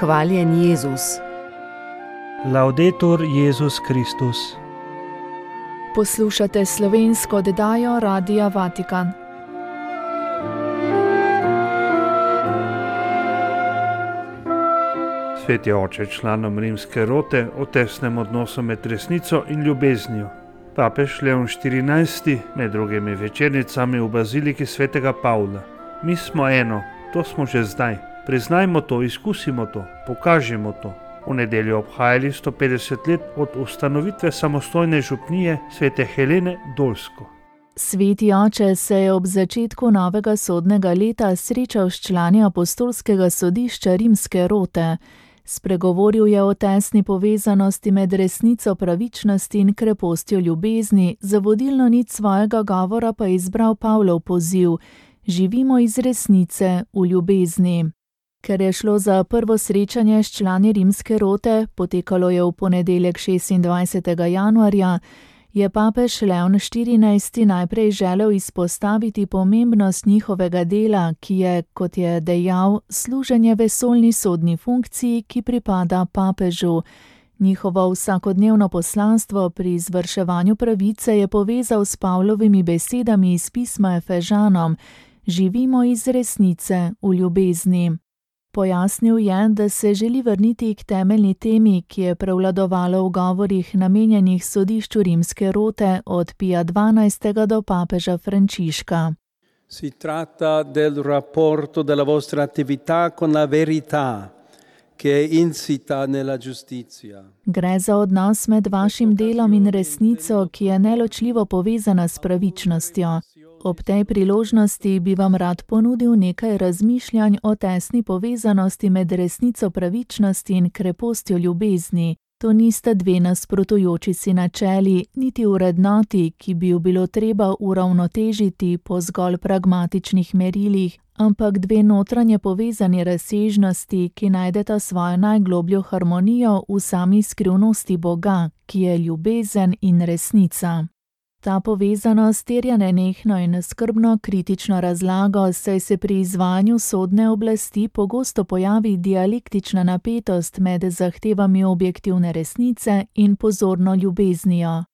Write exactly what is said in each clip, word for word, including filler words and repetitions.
Hvaljen Jezus. Laudetur Jezus Kristus. Poslušate slovensko oddajo Radia Vatikan. Sveti oče članom rimske rote o tesnem odnosu med resnico in ljubeznijo. Papež Leon štirinajsti med drugimi večernicami v baziliki svetega Pavla. Mi smo eno, to smo že zdaj. Priznajmo to, izkusimo to, pokažimo to. V nedeljo obhajali sto petdeset let od ustanovitve samostojne župnije svete Helene Dolsko. Sveti oče se je ob začetku novega sodnega leta srečal s člani apostolskega sodišča rimske rote. Spregovoril je o tesni povezanosti med resnico pravičnosti in krepostjo ljubezni, za vodilno nit svojega govora pa je izbral Pavlov poziv: živimo iz resnice v ljubezni. Ker je šlo za prvo srečanje s člani rimske rote, potekalo je v ponedeljek šestindvajsetega januarja, je papež Leon štirinajsti najprej želel izpostaviti pomembnost njihovega dela, ki je, kot je dejal, služenje vesoljni sodni funkciji, ki pripada papežu. Njihovo vsakodnevno poslanstvo pri izvrševanju pravice je povezal s Pavlovimi besedami iz pisma Efežanom: živimo iz resnice v ljubezni. Pojasnil je, da se želi vrniti k temeljni temi, ki je prevladovala v govorih namenjenih sodišču rimske rote od Pija dvanajstega do papeža Frančiška. Si tratta del rapporto della vostra attività con la verità, che è insita nella giustizia. Gre za odnos med vašim delom in resnico, ki je neločljivo povezana s pravičnostjo. Ob tej priložnosti bi vam rad ponudil nekaj razmišljanj o tesni povezanosti med resnico pravičnosti in krepostjo ljubezni. To nista dve nasprotujoči si načeli, niti vrednoti, ki bi jo bilo treba uravnotežiti po zgolj pragmatičnih merilih, ampak dve notranje povezani razsežnosti, ki najdeta svojo najglobljo harmonijo v sami skrivnosti Boga, ki je ljubezen in resnica. Ta povezanost terja nenehno in skrbno kritično razlago, saj se pri izvajanju sodne oblasti pogosto pojavi dialektična napetost med zahtevami objektivne resnice in pozorno ljubeznijo.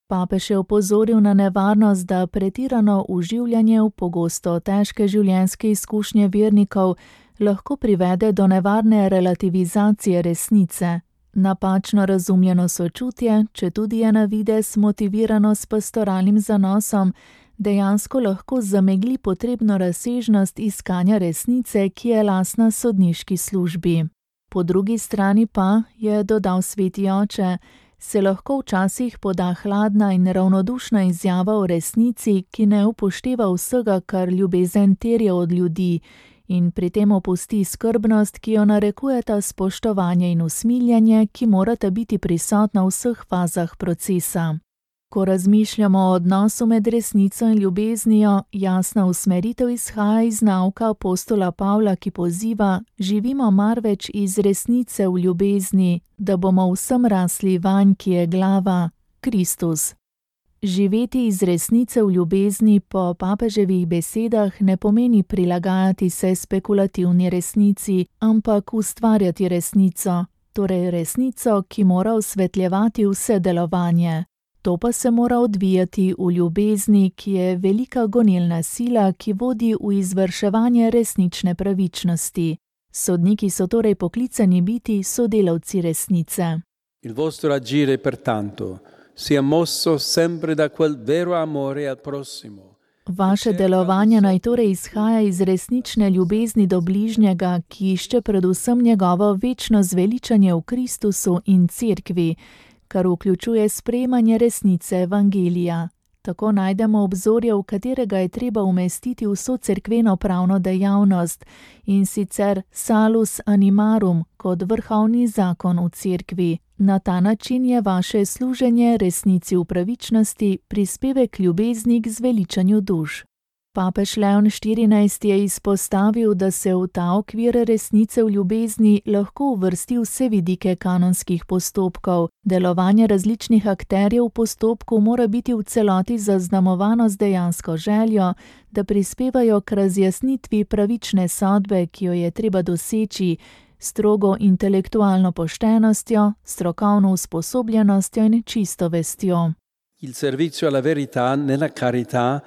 Papež je opozoril na nevarnost, da pretirano vživljanje v pogosto težke življenjske izkušnje vernikov lahko privede do nevarne relativizacije resnice. Napačno razumljeno sočutje, četudi je na videz motivirano s pastoralnim zanosom, dejansko lahko zamegli potrebno razsežnost iskanja resnice, ki je lastna sodniški službi. Po drugi strani pa, je dodal sveti oče, se lahko včasih poda hladna in ravnodušna izjava o resnici, ki ne upošteva vsega, kar ljubezen terja od ljudi, in pri tem opusti skrbnost, ki jo narekujeta spoštovanje in usmiljanje, ki morata biti prisotna v vseh fazah procesa. Ko razmišljamo o odnosu med resnico in ljubeznijo, jasna usmeritev izhaja iz nauka apostola Pavla, ki poziva: živimo marveč iz resnice v ljubezni, da bomo vsem rasli vanj, ki je glava, Kristus. Živeti iz resnice v ljubezni po papeževih besedah ne pomeni prilagajati se spekulativni resnici, ampak ustvarjati resnico, torej resnico, ki mora osvetljevati vse delovanje. To pa se mora odvijati v ljubezni, ki je velika gonilna sila, ki vodi v izvrševanje resnične pravičnosti. Sodniki so torej poklicani biti sodelavci resnice. Il vostro agire pertanto sia mosso sempre da quel vero amore al prossimo. Vaše delovanje naj torej izhaja iz resnične ljubezni do bližnjega, ki išče predvsem njegovo večno zveličanje v Kristusu in cerkvi, kar vključuje sprejemanje resnice evangelija. Tako najdemo obzorje, v katerega je treba umestiti vso cerkveno pravno dejavnost, in sicer salus animarum kot vrhovni zakon v cerkvi. Na ta način je vaše služenje resnici v pravičnosti prispevek ljubezni k zveličanju duš. Papež Leon štirinajsti je izpostavil, da se v ta okvir resnice v ljubezni lahko uvrsti vse vidike kanonskih postopkov. Delovanje različnih akterjev v postopku mora biti v celoti zaznamovano z dejansko željo, da prispevajo k razjasnitvi pravične sodbe, ki jo je treba doseči, strogo intelektualno poštenostjo, strokovno usposobljenostjo in čisto vestjo. Il servizio alla verità nella carità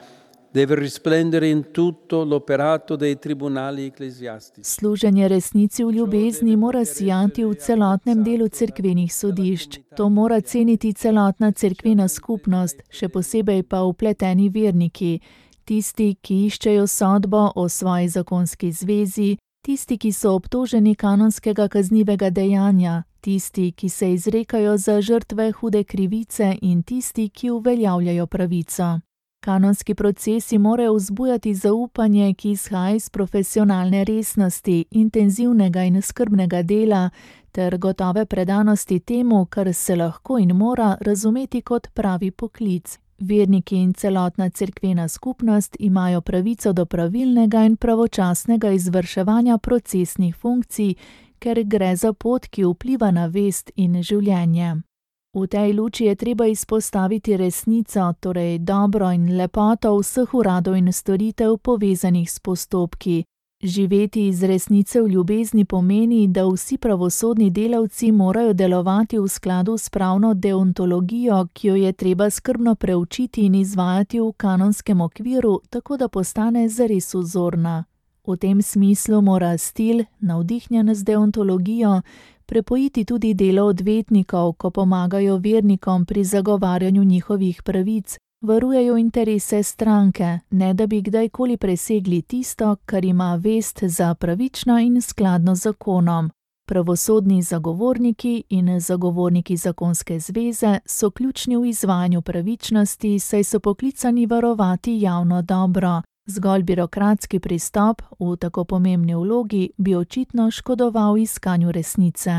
deve risplendere in tutto l'operato dei tribunali ecclesiastici. Služenje resnici v ljubezni mora sijati v celotnem delu cerkvenih sodišč. To mora ceniti celotna cerkvena skupnost, še posebej pa vpleteni verniki, tisti, ki iščejo sodbo o svoji zakonski zvezi, tisti, ki so obtoženi kanonskega kaznivega dejanja, tisti, ki se izrekajo za žrtve hude krivice in tisti, ki uveljavljajo pravico. Kanonski procesi morajo vzbujati zaupanje, ki izhaja iz profesionalne resnosti, intenzivnega in skrbnega dela ter gotove predanosti temu, kar se lahko in mora razumeti kot pravi poklic. Verniki in celotna cerkvena skupnost imajo pravico do pravilnega in pravočasnega izvrševanja procesnih funkcij, ker gre za pot, ki vpliva na vest in življenje. V tej luči je treba izpostaviti resnico, torej dobro in lepoto vseh uradov in storitev povezanih s postopki. Živeti iz resnice v ljubezni pomeni, da vsi pravosodni delavci morajo delovati v skladu s pravno deontologijo, ki jo je treba skrbno preučiti in izvajati v kanonskem okviru, tako da postane zares vzorna. V tem smislu mora stil, navdihnjen z deontologijo, prepojiti tudi delo odvetnikov, ko pomagajo vernikom pri zagovarjanju njihovih pravic, varujejo interese stranke, ne da bi kdajkoli presegli tisto, kar ima vest za pravično in skladno z zakonom. Pravosodni zagovorniki in zagovorniki zakonske zveze so ključni v izvajanju pravičnosti, saj so poklicani varovati javno dobro. Zgolj birokratski pristop v tako pomembni vlogi bi očitno škodoval iskanju resnice.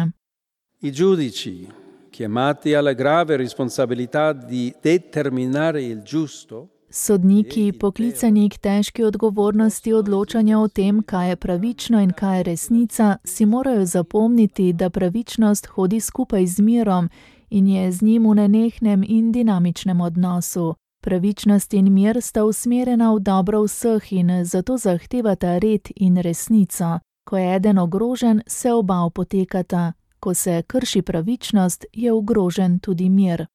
I giudici, chiamati alla grave responsabilità di determinare il giusto, Sodniki, poklicani k težki odgovornosti odločanja o tem, kaj je pravično in kaj je resnica, si morajo zapomniti, da pravičnost hodi skupaj z mirom in je z njim v nenehnem in dinamičnem odnosu. Pravičnost in mir sta usmerjena v dobro vseh in zato zahtevata red in resnico. Ko je eden ogrožen, se oba opotekata. Ko se krši pravičnost, je ogrožen tudi mir.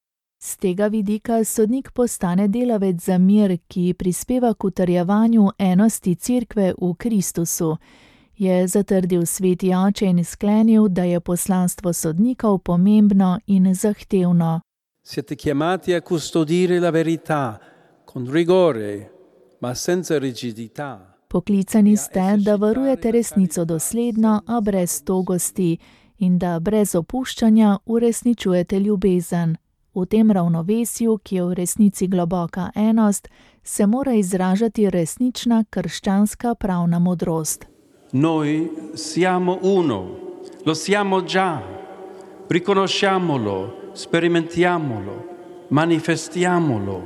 Z tega vidika sodnik postane delavec za mir, ki prispeva k utrjevanju enosti Cerkve v Kristusu. Je zatrdil sveti oče in sklenil, da je poslanstvo sodnikov pomembno in zahtevno. Siete chiamati a custodire la verità con rigore, ma senza rigidità. Poklicani ste, da varujete resnico dosledno, a brez togosti, in da brez opuščanja uresničujete ljubezen. V tem ravnovesju, ki je v resnici globoka enost, se mora izražati resnična krščanska pravna modrost. Noi siamo uno, lo siamo già, riconosciamolo, sperimentiamolo, manifestiamolo.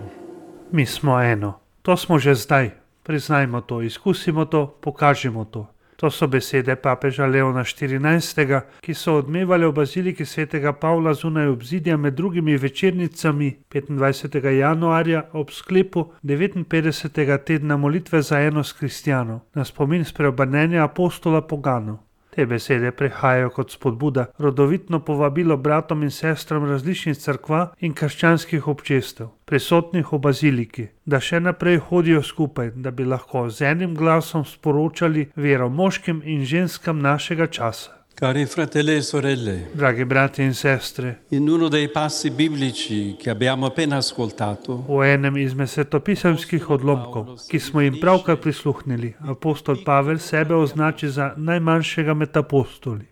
Mi smo eno, to smo že zdaj, priznajmo to, izkusimo to, pokažimo to. To so besede papeža Leona štirinajstega, ki so odmevale v baziliki svetega Pavla zunaj obzidja med drugimi večernicami petindvajsetega januarja ob sklepu devetinpetdesetega tedna molitve za enost kristjanov, na spomin spreobrnenja apostola poganov. Te besede prihajajo kot spodbuda, rodovitno povabilo bratom in sestram različnih cerkva in krščanskih občestev, prisotnih v baziliki, da še naprej hodijo skupaj, da bi lahko z enim glasom sporočali vero moškim in ženskam našega časa. Cari fratelli e sorelle, Dragi brati in sestre, in uno dei passi biblici che abbiamo appena ascoltato, v enem izmed svetopisemskih odlomkov, ki smo jim pravkar prisluhnili, apostol Pavel sebe označi za najmanjšega med apostoli.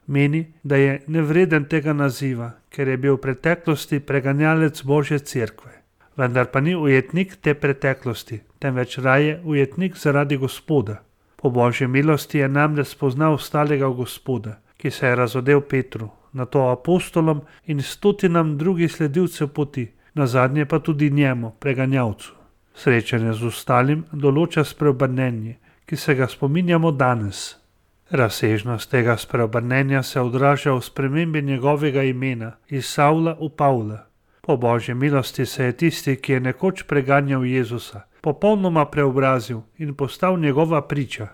Meni, da je nevreden tega naziva, ker je bil v preteklosti preganjalec Božje cerkve. Vendar pa ni ujetnik te preteklosti, temveč raje ujetnik zaradi Gospoda. Po Božji milosti je namreč spoznal ostalega Gospoda, ki se je razodel Petru, nato apostolom in stotinam drugih sledilcev poti, nazadnje pa tudi njemu, preganjavcu. Srečanje z ostalim določa spreobrnenje, ki se ga spominjamo danes. Razsežnost tega spreobrnenja se odraža v spremembi njegovega imena iz Savla v Pavla. Po Božji milosti se je tisti, ki je nekoč preganjal Jezusa, popolnoma preobrazil in postal njegova priča.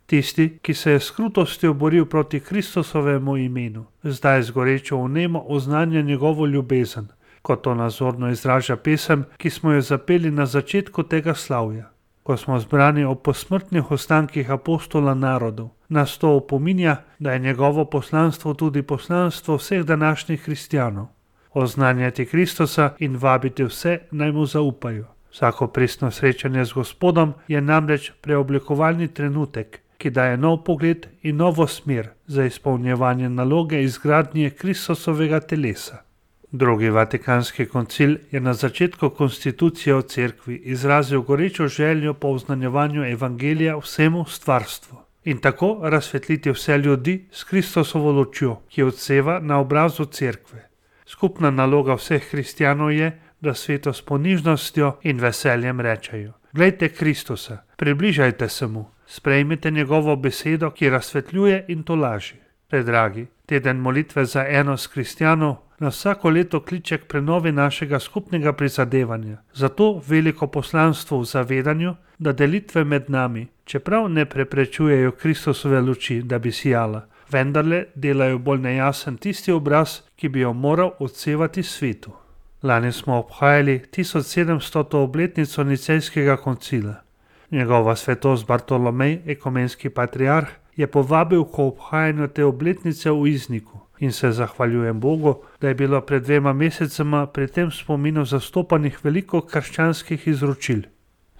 Tisti, ki se je s krutostjo boril proti Kristusovemu imenu, zdaj z gorečo vnemo oznanja njegovo ljubezen, kot to nazorno izraža pesem, ki smo jo zapeli na začetku tega slavja. Ko smo zbrani ob posmrtnih ostankih apostola narodov, nas to opominja, da je njegovo poslanstvo tudi poslanstvo vseh današnjih kristjanov. Oznanjati Kristusa in vabiti vse, naj mu zaupajo. Vsako pristno srečanje z Gospodom je namreč preoblikovalni trenutek, ki daje nov pogled in novo smer za izpolnjevanje naloge izgradnje Kristusovega telesa. Drugi vatikanski koncil je na začetku konstitucije o cerkvi izrazil gorečo željo po oznanjevanju evangelija vsemu stvarstvu in tako razsvetliti vse ljudi s Kristusovo lučjo, ki odseva na obrazu cerkve. Skupna naloga vseh kristjanov je, da svetu s ponižnostjo in veseljem rečejo: Glejte Kristusa, približajte se mu, sprejmite njegovo besedo, ki razsvetljuje in tolaži. Predragi, teden molitve za enost kristjanov nas vsako leto kliče k prenovi našega skupnega prizadevanja. Zato veliko poslanstvo v zavedanju, da delitve med nami, čeprav ne preprečujejo Kristusove luči, da bi sijala, vendarle delajo bolj nejasen tisti obraz, ki bi jo moral odsevati svetu. Lani smo obhajali tisoč sedemstoto obletnico Nicejskega koncila. Njegova svetost Bartolomej, ekumenski patriarh, je povabil k obhajanju te obletnice v Izniku in se zahvaljujem Bogu, da je bilo pred dvema mesecema pri tem spominu zastopanih veliko krščanskih izročil.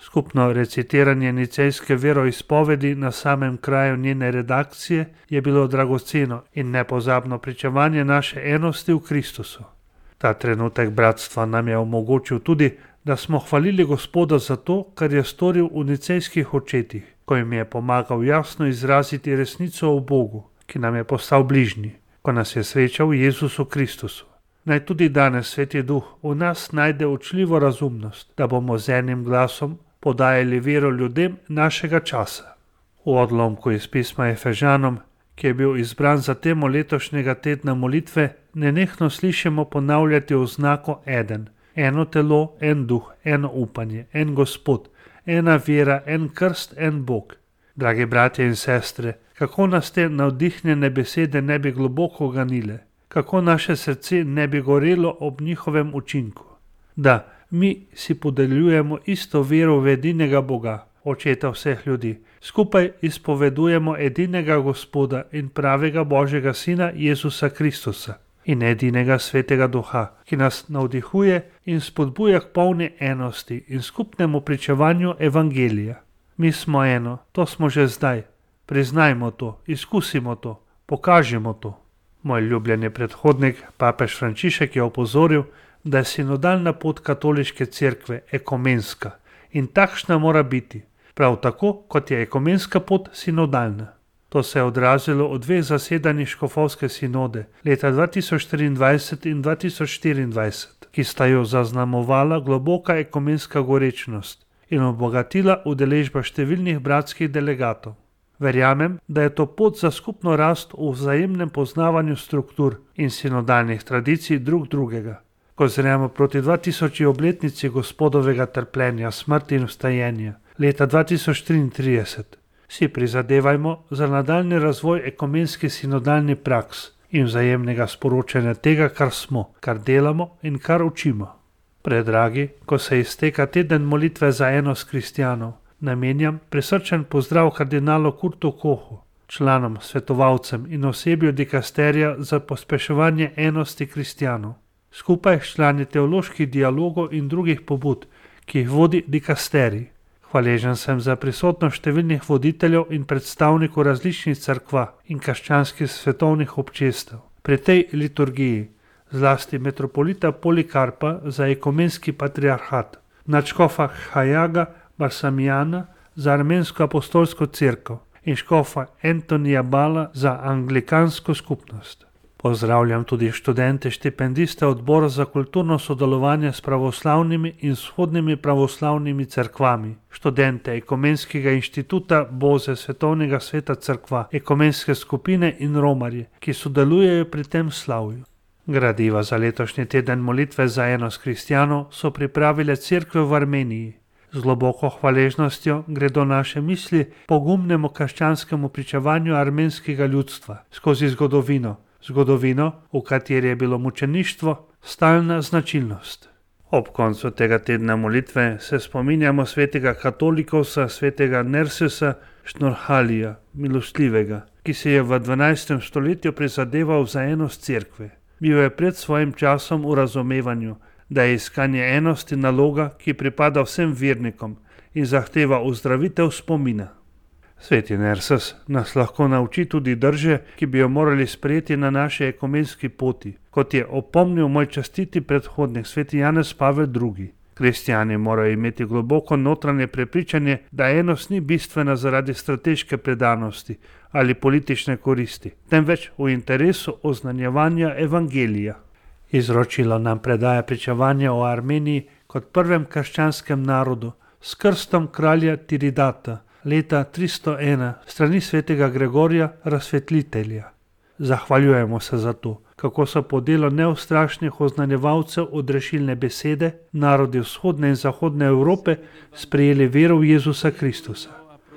Skupno recitiranje nicejske veroizpovedi na samem kraju njene redakcije je bilo dragoceno in nepozabno pričevanje naše enosti v Kristusu. Ta trenutek bratstva nam je omogočil tudi, da smo hvalili Gospoda za to, kar je storil v nicejskih očetih, ko jim je pomagal jasno izraziti resnico o Bogu, ki nam je postal bližnji, ko nas je srečal v Jezusu Kristusu. Naj tudi danes Sveti Duh v nas najde učljivo razumnost, da bomo z enim glasom podajali vero ljudem našega časa. V odlomku iz pisma Efežanom, ki je bil izbran za temo letošnjega tedna molitve, nenehno slišimo ponavljati oznako eden. Eno telo, en duh, eno upanje, en Gospod, ena vera, en krst, en Bog. Dragi bratje in sestre, kako nas te navdihnjene besede ne bi globoko ganile, kako naše srce ne bi gorelo ob njihovem učinku. Da, mi si podeljujemo isto vero v edinega Boga, Očeta vseh ljudi, skupaj izpovedujemo edinega Gospoda in pravega Božjega Sina Jezusa Kristusa in edinega Svetega Duha, ki nas navdihuje in spodbuja k polni enosti in skupnemu pričevanju evangelija. Mi smo eno, to smo že zdaj. Priznajmo to, izkusimo to, pokažimo to. Moj ljubljeni predhodnik, papež Frančišek, je opozoril, da je sinodalna pot katoliške cerkve ekumenska in takšna mora biti, prav tako kot je ekumenska pot sinodalna. To se je odrazilo v dveh zasedanjih škofovske sinode leta dva tisoč triindvajset in dva tisoč štiriindvajset, ki sta jo zaznamovala globoka ekumenska gorečnost in obogatila udeležba številnih bratskih delegatov. Verjamem, da je to pot za skupno rast v vzajemnem poznavanju struktur in sinodalnih tradicij drug drugega. Ko zremo proti dva tisoči obletnici Gospodovega trpljenja, smrti in vstajenja leta dva tisoč triintrideset, si prizadevajmo za nadaljni razvoj ekumenski sinodalni praks in vzajemnega sporočanja tega, kar smo, kar delamo in kar učimo. Predragi, ko se izteka teden molitve za enost kristjanov, namenjam prisrčen pozdrav kardinalu Kurtu Kohu, članom, svetovalcem in osebju dikasterija za pospeševanje enosti kristjanov. Skupaj s člani teoloških dialogov in drugih pobud, ki jih vodi dikasterij. Hvaležen sem za prisotnost številnih voditeljev in predstavnikov različnih cerkva in krščanskih svetovnih občestev. Pri tej liturgiji, zlasti metropolita Polikarpa za ekumenski patriarhat, nadškofa Hajaga Barsamijana za armensko apostolsko cerkev in škofa Antonija Bala za anglikansko skupnost. Pozdravljam tudi študente štipendiste Odbora za kulturno sodelovanje s pravoslavnimi in vzhodnimi pravoslavnimi cerkvami, študente Ekumenskega inštituta Boze Svetovnega sveta cerkva, ekumenske skupine in romarje, ki sodelujejo pri tem slavju. Gradiva za letošnji teden molitve za enost kristjanov so pripravile cerkve v Armeniji. Z globoko hvaležnostjo gredo naše misli pogumnemu krščanskemu pričevanju armenskega ljudstva skozi zgodovino, zgodovino, v kateri je bilo mučeništvo stalna značilnost. Ob koncu tega tedna molitve se spominjamo svetega katolikosa, svetega Nersesa Šnorhalija, milostljivega, ki se je v dvanajstem stoletju prizadeval za enost cerkve. Bil je pred svojim časom v razumevanju, da je iskanje enosti naloga, ki pripada vsem vernikom in zahteva ozdravitev spomina. Sveti Nerses nas lahko nauči tudi drže, ki bi jo morali sprejeti na naši ekumenski poti, kot je opomnil moj častiti predhodnik sveti Janez Pavel drugi. Kristjani morajo imeti globoko notranje prepričanje, da enost ni bistvena zaradi strateške predanosti ali politične koristi, temveč v interesu oznanjevanja evangelija. Izročilo nam predaja pričevanja o Armeniji kot prvem krščanskem narodu s krstom kralja Tiridata leta tristo ena strani svetega Gregorja Razsvetlitelja. Zahvaljujemo se za to, kako so po delu neustrašnih oznanjevalcev odrešilne besede narodi vzhodne in zahodne Evrope sprejeli vero v Jezusa Kristusa.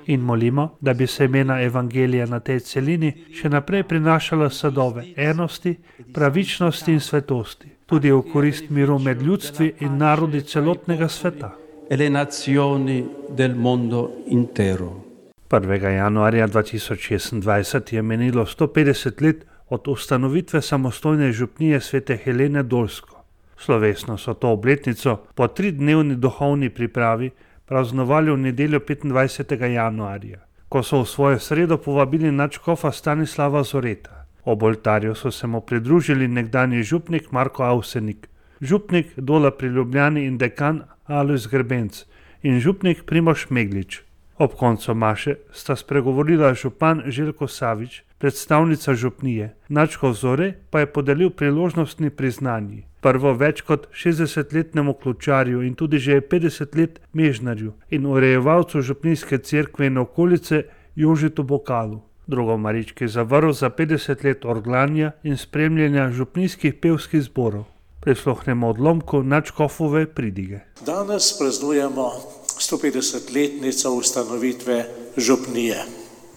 In molimo, da bi se imena evangelija na tej celini še naprej prinašala sadove enosti, pravičnosti in svetosti, tudi v korist miru med ljudstvi in narodi celotnega sveta. E le nazioni del mondo intero. prvega januarja dva tisoč šestindvajset je menilo sto petdeset let od ustanovitve samostojne župnije svete Helene Dolsko. Slovesno so to obletnico po tridnevni duhovni pripravi praznovali v nedeljo petindvajsetega januarja, ko so v svojo sredo povabili nadškofa Stanislava Zoreta. Ob oltarju so se mu pridružili nekdanji župnik Marko Avsenik, župnik Dola pri Ljubljani in dekan Alojz Grbenc in župnik Primož Meglič. Ob koncu maše sta spregovorila župan Željko Savič, predstavnica župnije, nadškof Zore pa je podelil priložnostni priznanji. Prvo več kot šestdesetletnemu ključarju in tudi že petdeset let mežnarju in urejevalcu župnijske cerkve in okolice Jožetu Bokalu. Drugo Marički zavrl za petdeset let orglanja in spremljanja župnijskih pevskih zborov. Prisluhnemo odlomku nadškofove pridige. Danes praznujemo sto petdesetletnico ustanovitve župnije,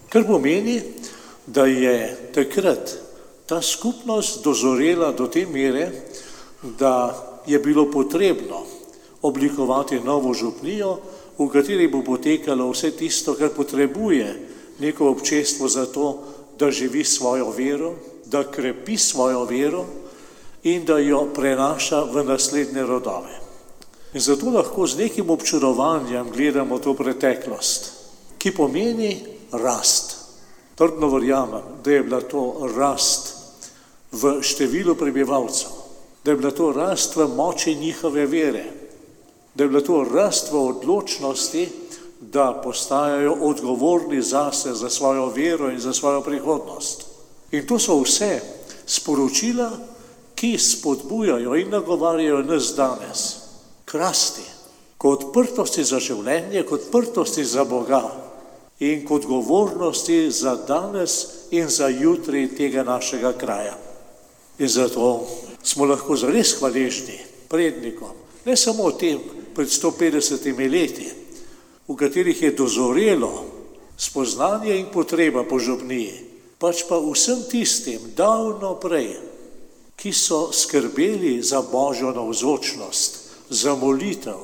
kar pomeni, da je takrat ta skupnost dozorela do te mere, da je bilo potrebno oblikovati novo župnijo, v kateri bo potekalo vse tisto, kar potrebuje neko občestvo za to, da živi svojo vero, da krepi svojo vero in da jo prenaša v naslednje rodove. In zato lahko z nekim občudovanjem gledamo to preteklost, ki pomeni rast. Trdno verjamem, da je bila to rast v številu prebivalcev, da je bila to rast v moči njihove vere, da je bila to rast v odločnosti, da postajajo odgovorni zase, za svojo vero in za svojo prihodnost. In to so vse sporočila, ki spodbujajo in nagovarjajo nas danes k rasti, k odprtosti za življenje, k odprtosti za Boga in k odgovornosti za danes in za jutri tega našega kraja. In zato smo lahko zares hvaležni prednikom, ne samo tem pred sto petdesetimi leti, v katerih je dozorelo spoznanje in potreba po župniji, pač pa vsem tistim davno prej, ki so skrbeli za Božjo navzočnost, za molitev,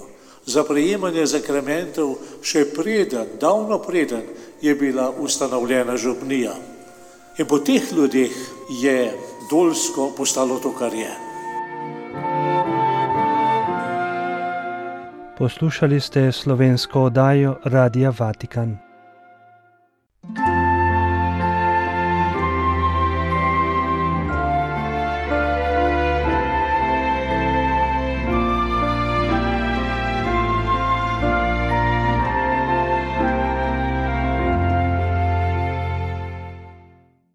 za prejemanje zakramentov, še preden, davno preden je bila ustanovljena župnija. In po teh ljudeh je Dolsko postalo to, kar je. Poslušali ste slovensko oddajo Radia Vatikan.